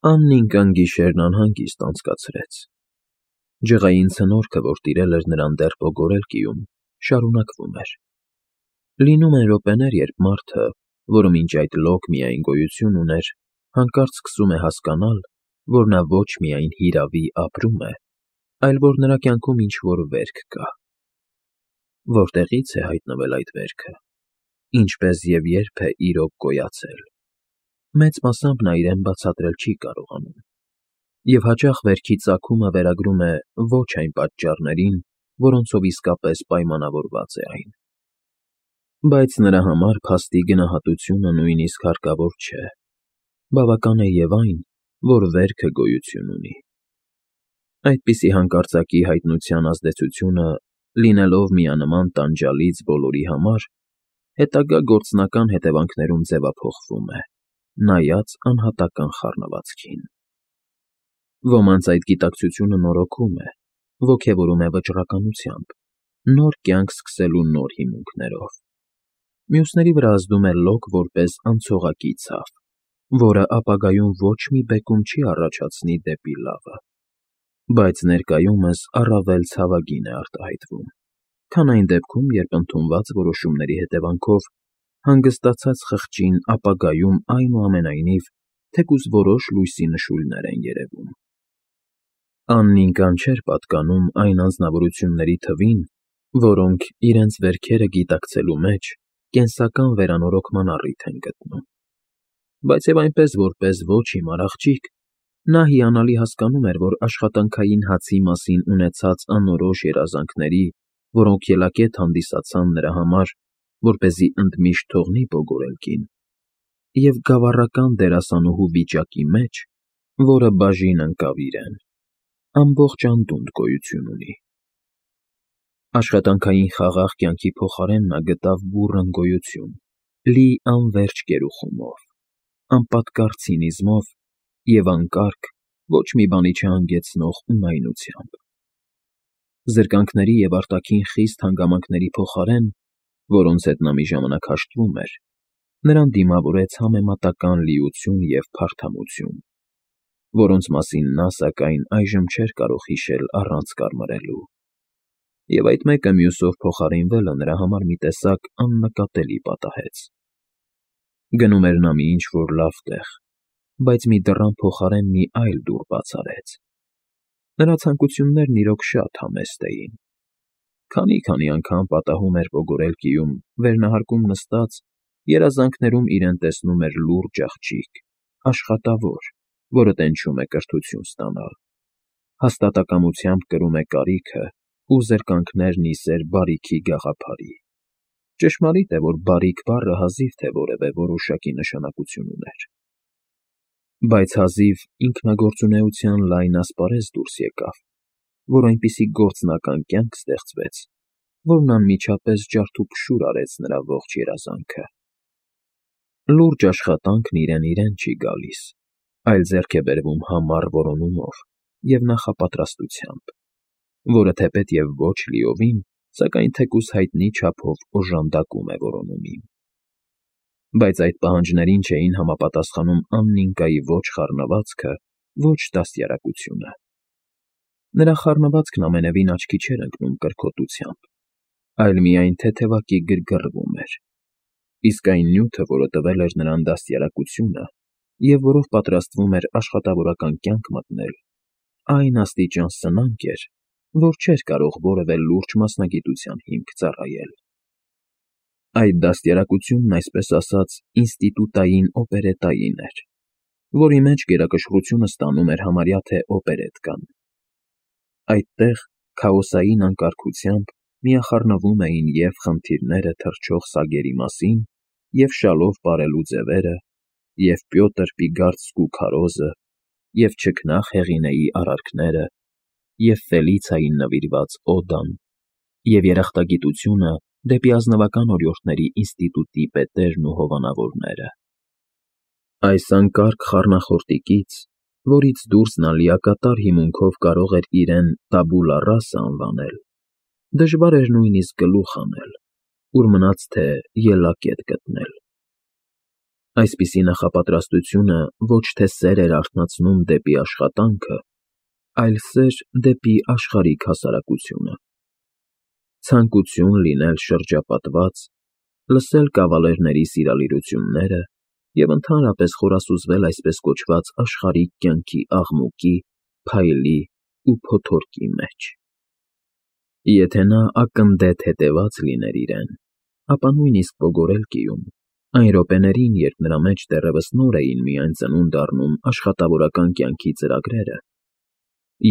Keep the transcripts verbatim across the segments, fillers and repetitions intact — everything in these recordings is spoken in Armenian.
Աննին կան գիշերն անհանգիստ անցկացրեց։ Ջղային ցնորքը, որ տիրել էր նրան դեռ Պոգորելկիում, շարունակվում էր։ Լինում են րոպեներ, երբ մարդը, որը մինչ այդ լոկ միայն գոյություն ուներ, հանկարծ սկսում է հասկանալ, որ նա ոչ միայն հիրավի ապրում է, այլ որ նրա կյանքում ինչ-որ վերք կա։ Որտեղի՞ց է հայտնվել այդ վերքը, ինչպես և երբ է իրոք գոյացել։ Մեծ մասամբ նա իրեն բացատրել չի կարողանում, և հաճախ վերքի ծագումը վերագրում է ոչ այն պատճառներին, որոնցով իսկապես պայմանավորված է այն։ Բայց նրա համար փաստի գնահատությունը նույնիսկ հարկավոր չէ, բավական է և այն, որ վերքը գոյություն ունի։ Այդպիսի հանկարծակի հայտնության ազդեցությունը, լինելով միանման տանջալից բոլորի համար, հետագա գործնական հետևանքներում ձևափոխվում է, նայած անհատական խառնվածքին։ Ոմանց այդ գիտակցությունը նորոգում է, ոգևորում է վճռականությամբ, նոր կյանք սկսելու նոր հիմունքներով։ Մյուսների վրա ազդում է լոկ որպես անցողակի ցավ, որը ապագայում ոչ մի բեկում չի առաջացնի դեպի լավը, բայց ներկայումս առավել ցավագին է արտահայտվում, քան այն դեպքում, երբ ընդունված որոշումների հետևանքով հանգստացած խղճին ապագայում այնուամենայնիվ թեկուզ որոշ լույսի նշույլներ են երևում։ Աննին կան չէր պատկանում այն անձնավորությունների թվին, որոնք, իրենց վերքերը գիտակցելու մեջ, կենսական վերանորոգման առիթ են գտնում։ Բայց և այնպես, որպես ոչ հիմար աղջիկ, նա հիանալի հասկանում էր, որ աշխատանքային հացի մասին ունեցած անորոշ երազանքների, որոնք ելակետ հանդիսացան նրա համար, որպեսզի ընդմիշտ թողնի Պոգորելկին, և գավառական դերասանուհու վիճակի մեջ, որը բաժին ընկավ իրեն, ամբողջ անդունդ գոյություն ունի։ Աշխատանքային խաղաղ կյանքի փոխարեն նա գտավ բուռն գոյություն, լի անվերջ գերուխումով, անպատկառ ցինիզմով և անկարգ, ոչ մի բանի չհանգեցնող ունայնությամբ։ Զրկանքների և արտաքին խիստ հանգամանքների փոխարեն, որոնց հետ նա մի ժամանակ հաշտվում էր, նրան դիմավորեց համեմատական լիություն և փարթամություն, որոնց մասին նա, սակայն, այժմ չէր կարող հիշել առանց կարմարելու, և այդ մեկը մյուսով փոխարինվելը նրա համար մի տեսակ աննկատելի պատահեց։ Գնում էր նա մի ինչ֊որ լավ տեղ, բայց մի դռան փոխարեն մի այլ դուռ բաց արեց։ Նրա ցանկություններն իրոք շատ համեստ էին։ Քանի֊քանի անգամ պատահում էր Պոգորելկիում, վերնահարկում նստած, երազանքներում իրեն տեսնում էր լուրջ աղջիկ, աշխատավոր, որը տենչում է կրթություն ստանալ, հաստատակամությամբ կրում է կարիքը ու զրկանքներ նիսեր բարիքի գաղափարի։ Ճշմարիտ է, որ բարիք բառը հազիվ թե որևէ որոշակի նշանակություն ուներ։ Բայց հազիվ ինքնագործունեության լայն ասպարեզ դուրս եկավ, որ այնպիսի գործնական կյանք ստեղծվեց, որն անմիջապես ջարդուփշուր արեց նրա ողջ երազանքը։ Լուրջ աշխատանքն իրեն֊իրեն չի գալիս, այլ ձեռք է բերվում համառ որոնումով և նախապատրաստությամբ, որը թեպետ և ոչ լիովին, սակայն թեկուզ հայտնի չափով օժանդակում է որոնումին։ Բայց այդ պահանջներին չէին համապատասխանում Աննինկայի ոչ խառնվածքը, ոչ դաստիարակությունը։ Նրա խառնվածքն ամենևին աչքի չէր ընկնում կրքոտությամբ, այլ միայն թեթևակի գրգռվում էր, իսկ այն նյութը, որը տվել էր նրան դաստիարակությունը և որով պատրաստվում էր աշխատավորական կյանք մտնել, այն աստիճան սնանկ էր, որ չէր կարող որևէ լուրջ մասնագիտության հիմք ծառայել։ Այդ դաստիարակությունն, այսպես ասած, ինստիտուտային օպերետային էր, որի մեջ գերակշռությունը ստանում էր համարյա թե օպերետկան։ Այդտեղ, քաոսային անկարգությամբ, միախառնվում էին և խնդիրները թռչող սագերի մասին, և շալով պարելու ձևերը, և Պյոտր Պիգարդսկու քարոզը, և չքնաղ Հեղինեի արարքները, և Ֆելիցիային նվիրված օդան, և երախտագիտությունը դեպի ազնվական օրիորդների ինստիտուտի պետերն ու հովանավորները։ Այս անկարգ խառնախորտիկից, որից դուրս նա լիակատար հիմունքով կարող էր իրեն տաբուլա ռասա անվանել, դժվար էր նույնիսկ գլուխ հանել, ուր մնաց թե ելակետ գտնել։ Այսպիսի նախապատրաստությունը ոչ թե սեր էր արթնացնում դեպի աշխատանքը, այլ սեր դեպի աշխարհիկ հասարակությունը. ցանկություն լինել շրջապատված, լսել կավալերների սիրալիրությունները և ընդհանրապես խորասուզվել այսպես կոչված աշխարհիկ կյանքի աղմուկի, փայլի ու փոթորկի մեջ։ Եթե նա ակնդեթ հետևած լիներ իրեն, ապա նույնիսկ ոգորել կիում, այն րոպեներին, երբ նրա մեջ դեռևս նոր էին միայն ծնունդ առնում աշխատավորական կյանքի ծրագրերը,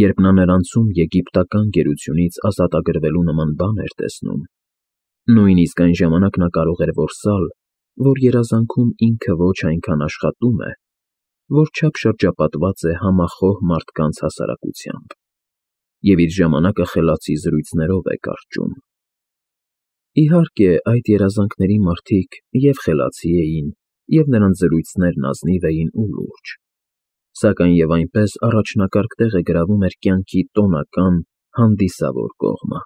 երբ նա նրանցում եգիպտական գերությունից ազատագրվելու նման բան էր տեսնում, նույնիսկ այն ժամանակ նա կարող էր որսալ, որ երազանքում ինքը ոչ այնքան աշխատում է, որչափ շրջապատված է համախոհ մարդկանց հասարակությամբ, և իր ժամանակը խելացի զրույցներով է կարճում։ Իհարկե, այդ երազանքների մարդիկ և խելացի էին, և նրանց զրույցներն ազնիվ էին ու լուրջ, սակայն և այնպես առաջնակարգ տեղ է գրավում էր կյանքի տոնական, հանդիսավոր կողմը։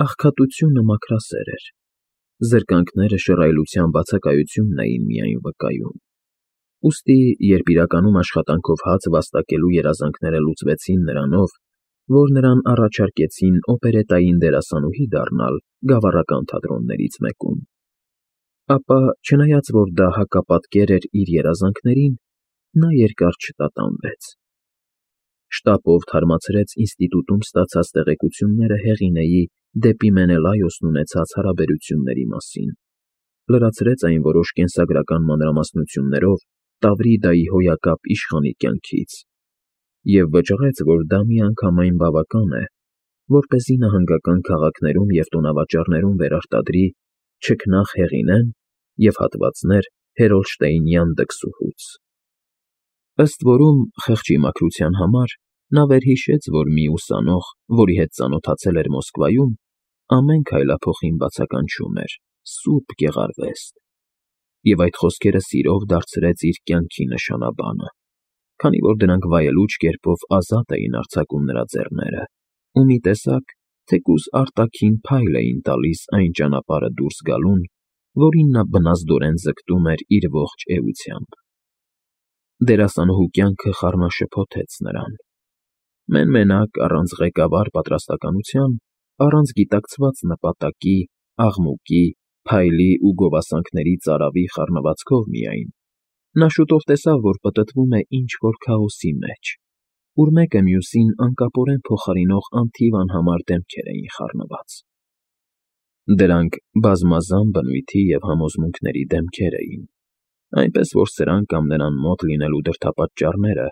Աղքատությունը մաքրասեր էր, զրկանքները շռայլության բացակայությունն էին միայն վկայում, ուստի երբ իրականում աշխատանքով հաց վաստակելու երազանքները լուծվեցին նրանով, որ նրան առաջարկեցին օպերետային դերասանուհի դառնալ գավառական թատրոններից մեկում, ապա, չնայած որ դա հակապատկեր էր իր երազանքներին, նա երկար չտատանվեց։ Շտապով թարմացրեց ինստիտուտում ստացած տեղեկությունները Հեղինեի դեպի Մենելայոսն ունեցած հարաբերությունների մասին, լրացրեց այն որոշ կենսագրական մանրամասնություններով Տավրիդայի հոյակապ իշխանի կյանքից և վճռեց, որ դա միանգամայն բավական է, որպեսզի նահանգական քաղաքներում և տոնավաճառներում վերարտադրի չքնաղ Հեղինեն և հատվածներ Հերոլշտեյնյան դքսուհուց։ Ըստ որում, խեղճի մաքրության համար նա վերհիշեց, որ մի ուսանող, որի հետ ծանոթացել էր Մոսկվայում, ամեն քայլափոխին բացականչում էր. «Սուրբ Գեղարվեստ», և այդ խոսքերը սիրով դարձրեց իր կյանքի նշանաբանը, քանի որ դրանք վայելուչ կերպով ազատ էին արձակում նրա ձեռները ու մի տեսակ, թեկուզ արտաքին փայլ էին տալիս այն ճանապարհը դուրս գալուն, որին նա բնազդորեն ձգտում էր իր ողջ էությամբ։ Դերասանուհու կյանքը խառնաշփոթեց նրան։ Մեն֊մենակ, առանց ղեկավար պատրաստակամության, առանց գիտակցված նպատակի, աղմուկի, փայլի ու գովասանքների ծարավի խառնվածքով միայն, նա շուտով տեսավ, որ պտտվում է ինչ-որ քաոսի մեջ, ուր մեկը մյուսին անկապորեն փոխարինող անթիվ անհամար դեմքեր էին խառնված։ Դրանք բազմազան բնույթի և համոզմունքների դեմքեր էին, այնպես որ սրանք կամ նրան մոտ լինելու դրդապատճառները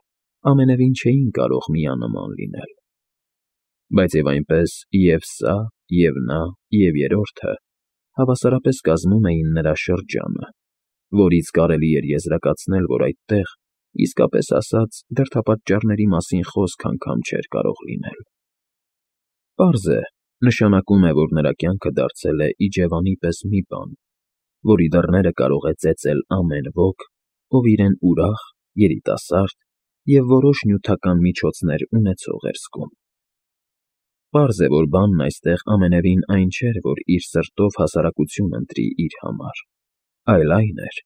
ամենևին չէին կարող միանման լինել։ Բայց և այնպես և՛ սա, և՛ նա, և երրորդը հավասարապես կազմում էին նրա շրջանը, որից կարելի էր եզրակացնել, որ այդտեղ, իսկապես ասած, դրդապատճառների մասին խոսք անգամ չէր կարող լինել։ Պարզ է, նշանակում է, որ նրա կյանքը դարձել է իջևանի պես մի բան, որի դռները կարող է ծեծել ամեն ոք, ով իրեն ուրախ, երիտասարդ և որոշ նյութական միջոցներ ունեցող էր զգում։ Պարզ է, որ բանն այստեղ ամենևին այն չէր, որ իր սրտով հասարակություն ընտրի իր համար, այլ այն էր,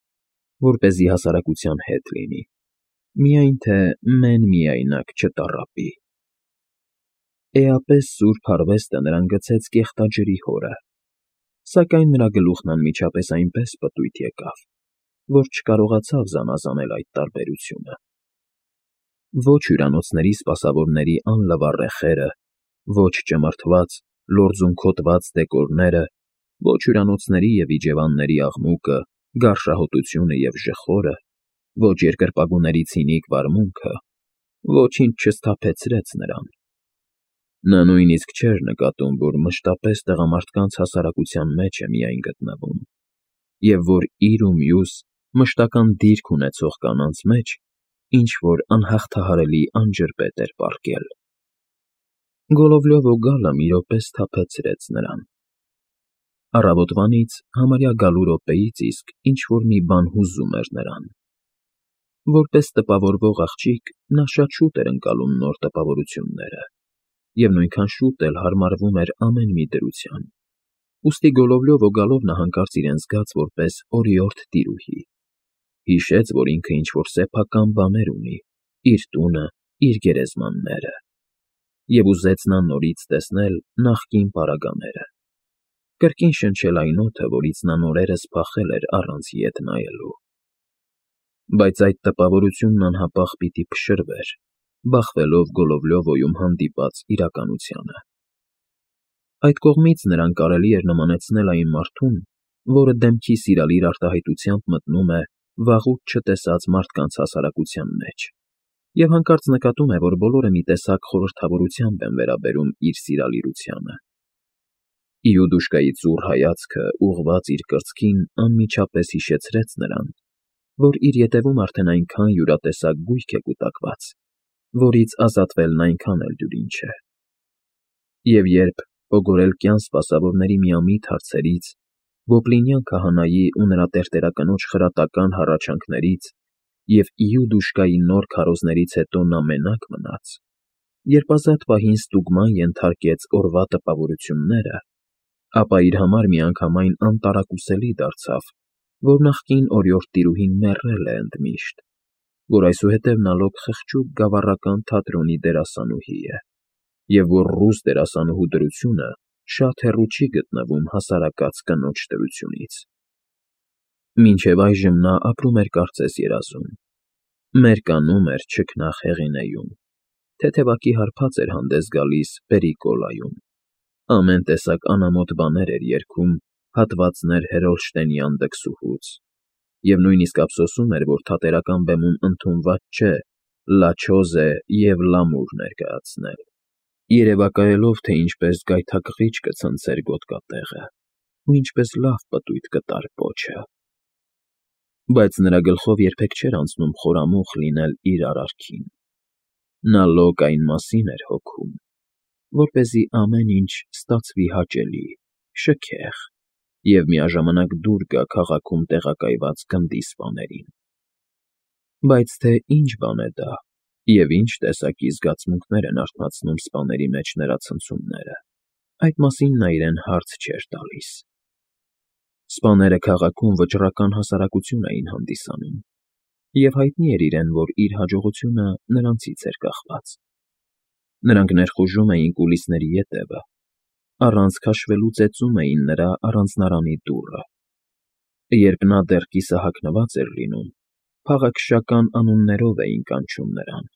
որպեսզի հասարակության հետ լինի, միայն թե մեն֊միայնակ չտառապի։ Էապես սուրբ հարվեստը նրան գցեց կեղտաջրի հորը, սակայն նրա գլուխն անմիջապես այնպես պտույտ եկավ, որ չկարողացավ զանազանել այդ տարբերությունը։ Ոչ հյուրանոցների սպասավորների անլվար ռեխերը, ոչ ճմրթված, լորձունքոտված դեկորները, ոչ հյուրանոցների և իջևանների աղմուկը, գարշահոտությունը և ժխորը, ոչ երկրպագուների ցինիկ վարմունքը, ոչինչ չսթափեցրեց նրան։ Նա նույնիսկ չէր նկատում, որ մշտապես տղամարդկանց հասարակության մեջ է միայն գտնվում, և որ իր ու մյուս, մշտական դիրք ունեցող կանանց մեջ ինչ֊որ անհաղթահարելի անջրպետ էր պառկել։ Գոլովլյովը գալը մի րոպե սթափեցրեց նրան։ Առավոտվանից, համարյա գալու րոպեից իսկ ինչ֊որ մի բան հուզում էր նրան։ Որպես տպավորվող աղջիկ նա շատ շուտ էր ընկալում նոր տպավորությունները և նույնքան շուտ էլ հարմարվում էր ամեն մի դրության, ուստի Գոլովլյովը գալով նա հանկարծ իրեն զգաց որպես օրիորդ տիրուհի, Հիշեց, որ ինքը ինչ-որ սեփական բաներ ունի, իր տունը, իր գերեզմանները, և ուզեց նա նորից տեսնել նախկին պարագաները, կրկին շնչել այն օդը, որից նա նորերս փախել էր առանց ետ նայելու։ Բայց այդ տպավորությունն անհապաղ պիտի փշրվեր, բախվելով Գոլովլյովոյում հանդիպած իրականությանը։ Այդ կողմից նրան կարելի էր նմանեցնել այն մարդուն, որը դեմքի սիրալիր արտահայտությամբ մտնում է վաղուց չտեսած մարդկանց հասարակության մեջ և հանկարծ նկատում է, որ բոլորը մի տեսակ խորհրդավորությամբ են վերաբերում իր սիրալիրությանը։ Իուդուշկայի ծուռ հայացքը, ուղղված իր կրծքին, անմիջապես հիշեցրեց նրան, որ իր ետևում արդեն այնքան յուրատեսակ գույք է կուտակված, որից ազատվելն այնքան էլ դյուրին չէ։ Եվ երբ, օգորելկյան սպասավորների միամիտ հարցերից, Գոբլինյան քահանայի ու նրա տերտերակնոջ խրատական հառաչանքներից և Իուդուշկայի նոր քարոզներից հետո նա մենակ մնաց, երբ ազատ պահին ստուգման ենթարկեց օրվա տպավորությունները, ապա իր համար միանգամայն անտարակուսելի դարձավ, որ նախկին օրիորդ տիրուհին մեռել է ընդմիշտ, որ այսուհետև նա լոկ խղճուկ գավառական թատրոնի դերասանուհի է, և որ ռուս դերասանուհու դրությունը շատ հեռու չի գտնվում հասարակած կնոջ դրությունից։ Մինչև այժմ նա ապրում էր կարծես երազում, մերկանում էր չքնաղ Հեղինեում, թեթևակի հարբած էր հանդես գալիս Պերիկոլայում, ամեն տեսակ անամոթ բաներ էր երգում հատվածներ Հերոլշտեյնյան դքսուհուց, և նույնիսկ ափսոսում էր, որ թատերական բեմում ընդունված չէ «Լա չոզե» և «Լամուր» ներկայացնել, երևակայելով, թե ինչպես գայթակղիչ կցնցեր գոտկատեղը ու ինչպես լավ պտույտ կտար պոչը։ Բայց նրա գլխով երբեք չէր անցնում խորամուխ լինել իր արարքին։ Նա լոկ այն մասին էր հոգում, որպեսզի ամեն ինչ ստացվի հաճելի, շքեղ և միաժամանակ դուր գա քաղաքում տեղակայված գնդի սպաներին։ Բայց թե ինչ բան է դա և ինչ տեսակի զգացմունքներ են արթնացնում սպաների մեջ նրա ցնցումները, այդ մասին նա իրեն հարց չէր տալիս։ Սպաները քաղաքում վճռական հասարակություն էին հանդիսանում, և հայտնի էր իրեն, որ իր հաջողությունը նրանցից էր կախված։ Նրանք ներխուժում էին կուլիսների ետևը, առանց քաշվելու ծեծում էին նրա առանձնարանի դուռը։ Երբ նա դեռ կիսահագնված էր լինում, փաղաքշական անուններով էին կանչում նրան,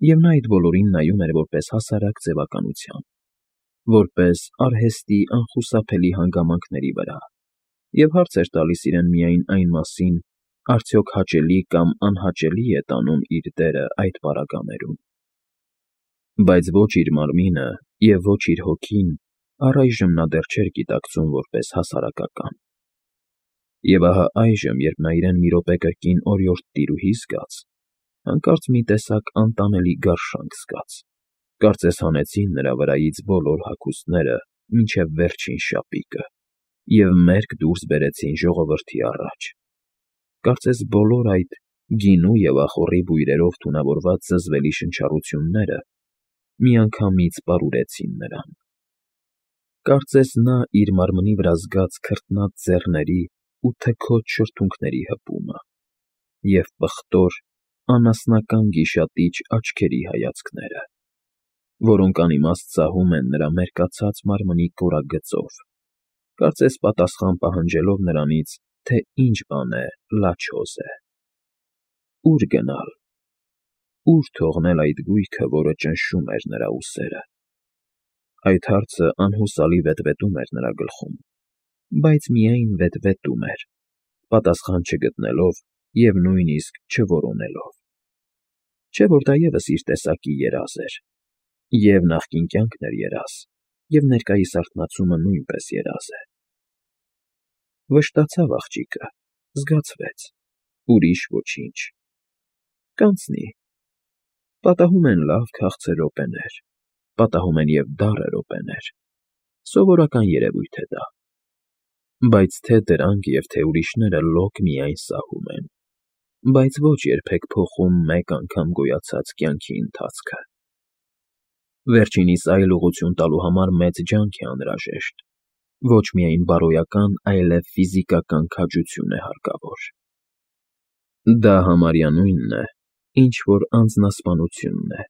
և նա այդ բոլորին նայում էր որպես հասարակ ձևականության, որպես արհեստի անխուսափելի հանգամանքների վրա, և հարց էր տալիս իրեն միայն այն մասին, արդյոք հաճելի կամ անհաճելի է տանում իր դերը այդ պարագաներում։ Բայց ոչ իր մարմինը և ոչ իր հոգին առայժմ նա դեռ չէր գիտակցում որպես հասարակական։ Եվ ահա այժմ, երբ նա իրեն մի րոպե կրկին օրիորդ տիրուհի զգաց, հանկարծ մի տեսակ անտանելի գարշանք զգաց, կարծես հանեցին նրա վրայից բոլոր հագուստները մինչև վերջին շապիկը և մերկ դուրս բերեցին ժողովրդի առաջ, կարծես բոլոր այդ գինու և ախոռի բույրերով թունավորված զզվելի շնչառությունները միանգամից պարուրեցին նրան։ Կարծես նա իր մարմնի վրա զգաց քրտնած ձեռների ու թքոծ շրթունքների հպումը և պղտոր, անասնական գիշատիչ աչքերի հայացքները, որոնք անիմաստ սահում են նրա մերկացած մարմնի կորագծով, կարծես պատասխան պահանջելով նրանից, թե ինչ բան է «Լա չոզե»։ Ո՞ւր գնալ, ո՞ւր թողնել այդ գույքը, որը ճնշում էր նրա ուսերը։ Այդ հարցը անհուսալի վետվետում էր նրա գլխում, բայց միայն վետվետում էր, պատասխան չգտնելով և նույնիսկ չորոնելով։ Չէ՞ որ դա ևս իր տեսակի երազ էր, և նախկին կյանքն էր երազ, և ներկայիս արթնացումը նույնպես երազ է։ Վշտացավ աղջիկը, զգացվեց, ուրիշ ոչինչ։ Կանցնի։ Պատահում են լավ քաղցր րոպեներ, պատահում են և դառը րոպեներ, սովորական երևույթ է դա։ Բայց թե դրանք և թե ուրիշները լոկ միայն սահում են, բայց ոչ երբեք փոխում մեկ անգամ գոյացած կյանքի ընթացքը։ Վերջինիս այլ ուղղություն տալու համար մեծ ջանք է անհրաժեշտ, ոչ միայն բարոյական, այլև ֆիզիկական քաջություն է հարկավոր։ Դա համարյա նույնն է, ինչ որ անձնասպանությունն է,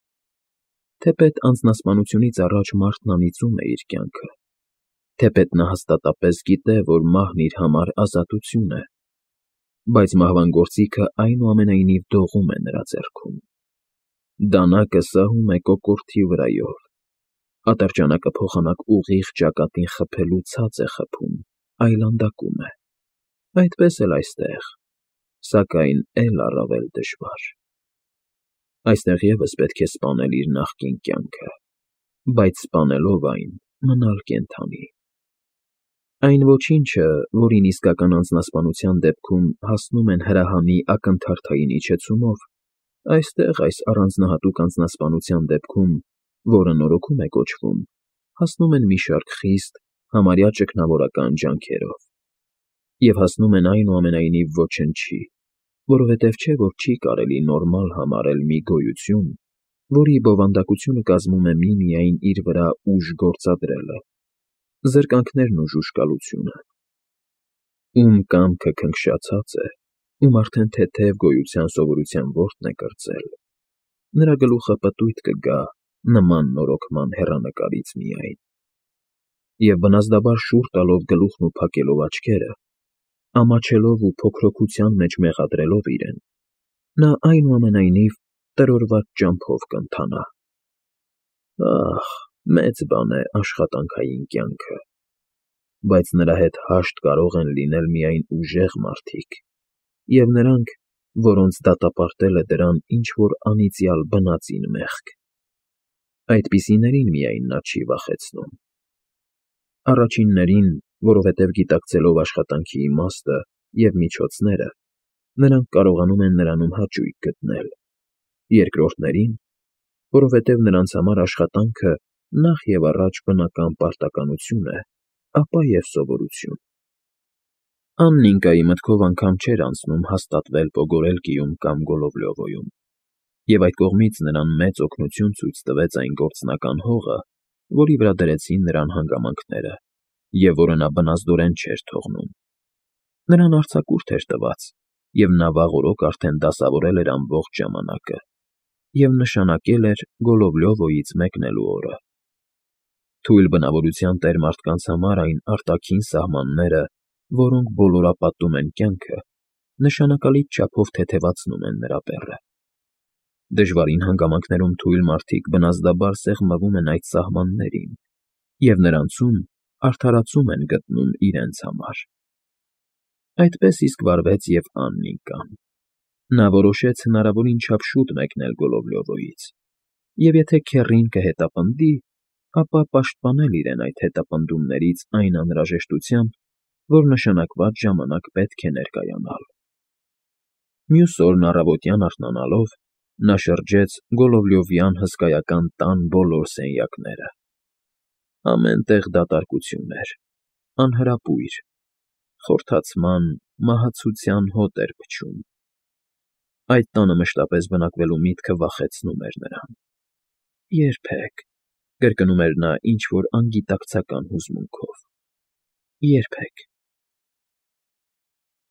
թեպետ անձնասպանությունից առաջ մարդն անիծում է իր կյանքը, թեպետ նա հաստատապես գիտե, որ մահն իր համար ազատություն է, բայց մահվան գործիքը այնուամենայնիվ դողում է նրա ձեռքում, դանակը սահում է կոկորդի վրայով, ատրճանակը փոխանակ ուղիղ ճակատին խփելու ցած է խփում, այլանդակում է, այդպես էլ այստեղ, սակայն էլ առավել դժվար. այստեղ ևս պետք է սպանել իր նախկին կյանքը, բայց սպանելով այն, մնալ կենդանի. Այն ոչինչը, որին իսկական անձնասպանության դեպքում հասնում են հրահանի ակնթարթային իջեցումով, այստեղ այս առանձնահատուկ անձնասպանության դեպքում, որը նորոգում է կոչվում, հասնում են մի շարք խիստ, համարյա ճգնավորական ջանքերով, և հասնում են այնուամենայնիվ ոչնչի, որովհետև չէ, որ չի կարելի նորմալ համարել մի գոյություն, որի բովանդակությունը կազմում է միմիայն իր վրա ուժ գործադրելը, զրկանքներն ու ժուժկալությունը, ում կամքը քնքշացած է, ում արդեն թեթև գոյության սովորության որտն է կրծել, նրա գլուխը պտույտ կգա նման նորոգման հեռանկարից միայն, և բնազդաբար շուռ տալով գլուխն ու փակելով աչքերը, ամաչելով ու փոքրոքության մեջ մեղադրելով իրեն, նա այնուամենայնիվ տրորված ճամփով կընթանա. ահ, մեծ բան է աշխատանքային կյանքը, բայց նրա հետ հաշտ կարող են լինել միայն ուժեղ մարդիկ և նրանք, որոնց դատապարտել է դրան ինչ-որ անիծյալ բնածին մեղք, այդպիսիներին միայն նա չի վախեցնում, առաջիններին, որովհետև գիտակցելով աշխատանքի իմաստը և միջոցները, նրանք կարողանում են նրանում հաճույք գտնել, երկրորդներին, որովհետև նրանց համար աշխատանքը նախ և առաջ բնական պարտականություն է, ապա և սովորություն. Աննիկայի մտքով անգամ չէր անցնում հաստատվել Պոգորելկիում կամ Գոլովլյովոյում, և այդ կողմից նրան մեծ օգնություն ցույց տվեց այն գործնական հողը, որի վրա դրեցին նրան հանգամանքները, և որը նա բնազդորեն չէր թողնում. նրան արձակուրդ էր տված, և նա վաղ օրոք արդեն դասավորել էր ամբողջ ժամանակը և նշանակել էր Գոլովլյովոյից մեկնելու օրը. թույլ բնավորության տեր մարդկանց համար այն արտաքին սահմանները, որոնք բոլորապատում են կյանքը, նշանակալից չափով թեթևացնում են նրա բեռը. դժվարին հանգամանքներում թույլ մարդիկ բնազդաբար սեղմվում են այդ սահմաններին և նրանցում արդարացում են գտնում իրենց համար. այդպես իսկ վարվեց և Աննիկան. նա որոշեց հնարավորին չափ շուտ մեկնել Գոլովլյովոյից, և եթե քեռին կհետապնդի, ապա պաշտպանել իրեն այդ հետապնդումներից այն անհրաժեշտությամբ, որ նշանակված ժամանակ պետք է ներկայանալ. Մյուս օրն առավոտյան արթնանալով, նա շրջեց Գոլովլյովյան հսկայական տան բոլոր սենյակները. ամեն տեղ դատարկություն էր, անհրապույր, խորթացման, մահացության հոտ էր փչում. այդ տանը մշտապես բնակվելու միտքը վախեցնում էր նրան. «Երբեք», կրկնում էր նա ինչ֊որ անգիտակցական հուզմունքով, «երբեք»։